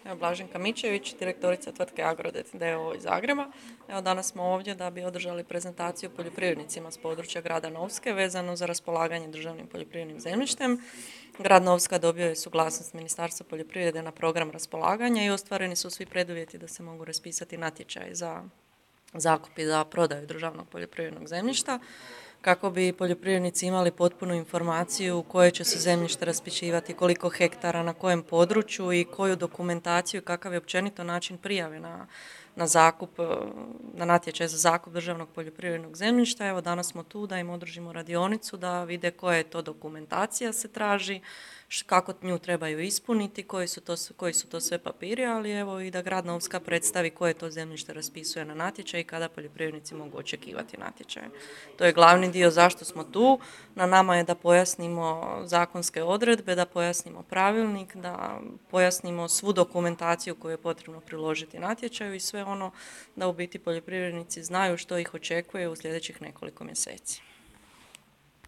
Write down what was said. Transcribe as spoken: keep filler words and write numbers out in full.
Evo, Blaženka Mičević, direktorica tvrtke Agrodet d o o iz Zagreba. Evo, danas smo ovdje da bi održali prezentaciju poljoprivrednicima s područja grada Novske vezano za raspolaganje državnim poljoprivrednim zemljištem. Grad Novska dobio je suglasnost Ministarstva poljoprivrede na program raspolaganja i ostvareni su svi preduvjeti da se mogu raspisati natječaj za zakup i za prodaju državnog poljoprivrednog zemljišta, kako bi poljoprivrednici imali potpunu informaciju koje će se zemljište raspisivati, koliko hektara, na kojem području i koju dokumentaciju, kakav je općenito način prijave na, na zakup, na natječaj za zakup državnog poljoprivrednog zemljišta. Evo, danas smo tu da im održimo radionicu, da vide koja je to dokumentacija se traži, kako nju trebaju ispuniti, koji su to, koji su to sve papiri, ali evo i da grad Novska predstavi koje to zemljište raspisuje na natječaj i kada poljoprivrednici mogu očekivati natječaj. To je glavni dio zašto smo tu. Na nama je da pojasnimo zakonske odredbe, da pojasnimo pravilnik, da pojasnimo svu dokumentaciju koju je potrebno priložiti natječaju i sve ono da u biti poljoprivrednici znaju što ih očekuje u sljedećih nekoliko mjeseci.